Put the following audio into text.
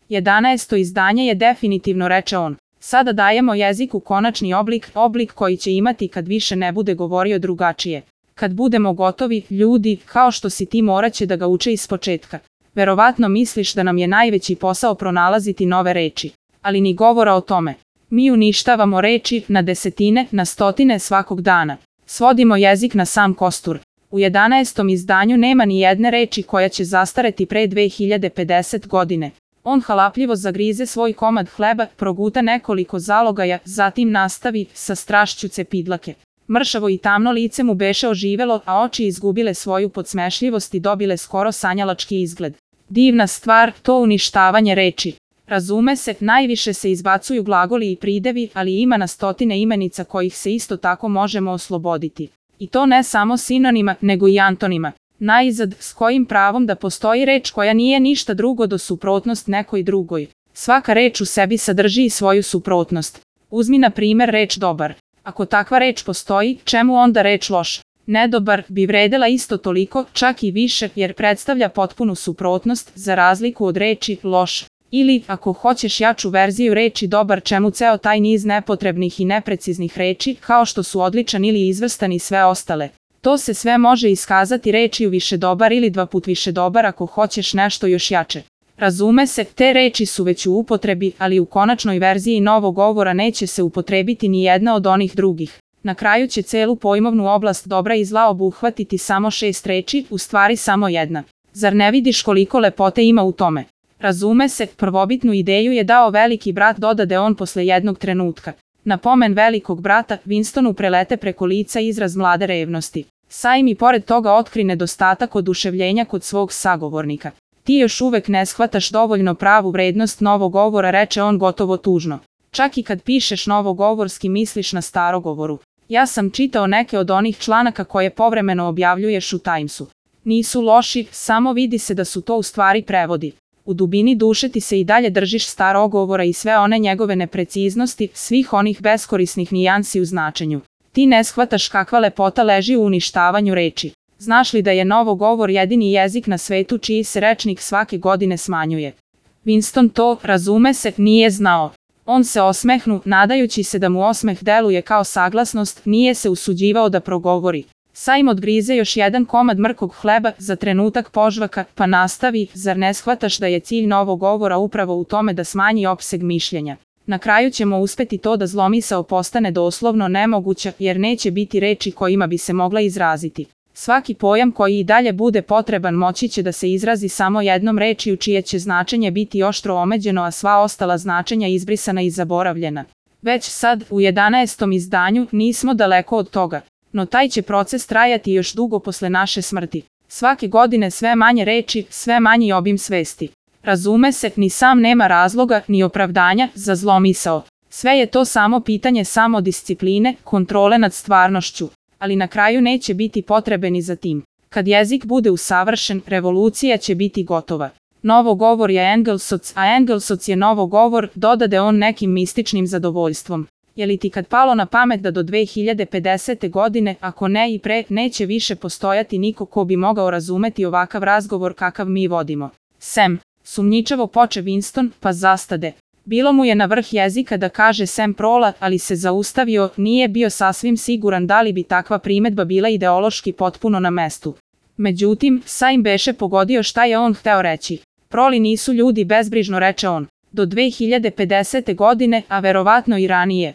11. izdanje je definitivno, reče on. Sada dajemo jeziku konačni oblik koji će imati kad više ne bude govorio drugačije. Kad budemo gotovi, ljudi, kao što si ti, moraće da ga uče ispočetka. Verovatno misliš da nam je najveći posao pronalaziti nove reči. Ali ni govora o tome. Mi uništavamo reči na desetine, na stotine svakog dana. Svodimo jezik na sam kostur. U 11. izdanju nema ni jedne reči koja će zastareti pre 2050 godine. On halapljivo zagrize svoj komad hleba, proguta nekoliko zalogaja, zatim nastavi sa strašću cepidlake. Mršavo i tamno lice mu beše oživelo, a oči izgubile svoju podsmešljivost i dobile skoro sanjalački izgled. Divna stvar, to uništavanje reči. Razume se, najviše se izbacuju glagoli i pridevi, ali ima na stotine imenica kojih se isto tako možemo osloboditi. I to ne samo sinonima, nego i antonima. Najzad, s kojim pravom da postoji reč koja nije ništa drugo do suprotnost nekoj drugoj. Svaka reč u sebi sadrži i svoju suprotnost. Uzmi na primer reč dobar. Ako takva reč postoji, čemu onda reč loš? Nedobar bi vredela isto toliko, čak i više, jer predstavlja potpunu suprotnost, za razliku od reči loš. Ili, ako hoćeš jaču verziju reči dobar, čemu ceo taj niz nepotrebnih i nepreciznih reči, kao što su odličan ili izvrstan i sve ostale. To se sve može iskazati rečju više dobar ili 2 put više dobar ako hoćeš nešto još jače. Razume se, te reči su već u upotrebi, ali u konačnoj verziji novog govora neće se upotrebiti ni jedna od onih drugih. Na kraju će celu pojmovnu oblast dobra i zla obuhvatiti samo 6 reči, u stvari samo jedna. Zar ne vidiš koliko lepote ima u tome? Razume se, prvobitnu ideju je dao veliki brat, dodade on posle jednog trenutka. Na pomen velikog brata, Winstonu prelete preko lica izraz mlade revnosti. Sajm i pored toga otkri nedostatak oduševljenja kod svog sagovornika. Ti još uvek ne shvataš dovoljno pravu vrednost novog govora, reče on gotovo tužno. Čak i kad pišeš novogovorski misliš na starogovoru. Ja sam čitao neke od onih članaka koje povremeno objavljuješ u Timesu. Nisu loši, samo vidi se da su to u stvari prevodi. U dubini duše ti se i dalje držiš starogovora i sve one njegove nepreciznosti, svih onih beskorisnih nijansi u značenju. Ti ne shvataš kakva lepota leži u uništavanju reči. Znaš li da je novogovor jedini jezik na svetu čiji se rečnik svake godine smanjuje? Winston to, razume se, nije znao. On se osmehnu, nadajući se da mu osmeh deluje kao saglasnost, nije se usuđivao da progovori. Sajm odgrize još jedan komad mrkog hleba, za trenutak požvaka, pa nastavi, zar ne shvataš da je cilj novog govora upravo u tome da smanji opseg mišljenja? Na kraju ćemo uspeti to da zlomisao postane doslovno nemoguća, jer neće biti reči kojima bi se mogla izraziti. Svaki pojam koji i dalje bude potreban moći će da se izrazi samo jednom rečju čije će značenje biti oštro omeđeno, a sva ostala značenja izbrisana i zaboravljena. Već sad, u 11. izdanju, nismo daleko od toga. No taj će proces trajati još dugo posle naše smrti. Svake godine sve manje reči, sve manji obim svesti. Razume se, ni sam nema razloga, ni opravdanja za zlomisao. Sve je to samo pitanje samodiscipline, kontrole nad stvarnošću. Ali na kraju neće biti potrebe ni za tim. Kad jezik bude usavršen, revolucija će biti gotova. Novogovor je Engelsoc, a Engelsoc je novogovor, dodade on nekim mističnim zadovoljstvom. Je li ti kad palo na pamet da do 2050. godine, ako ne i pre, neće više postojati niko ko bi mogao razumeti ovakav razgovor kakav mi vodimo? Sem, sumnjičavo poče Winston, pa zastade. Bilo mu je na vrh jezika da kaže sem prola, ali se zaustavio, nije bio sasvim siguran da li bi takva primetba bila ideološki potpuno na mestu. Međutim, Sajm beše pogodio šta je on hteo reći. Proli nisu ljudi, bezbrižno reče on. Do 2050. godine, a verovatno i ranije.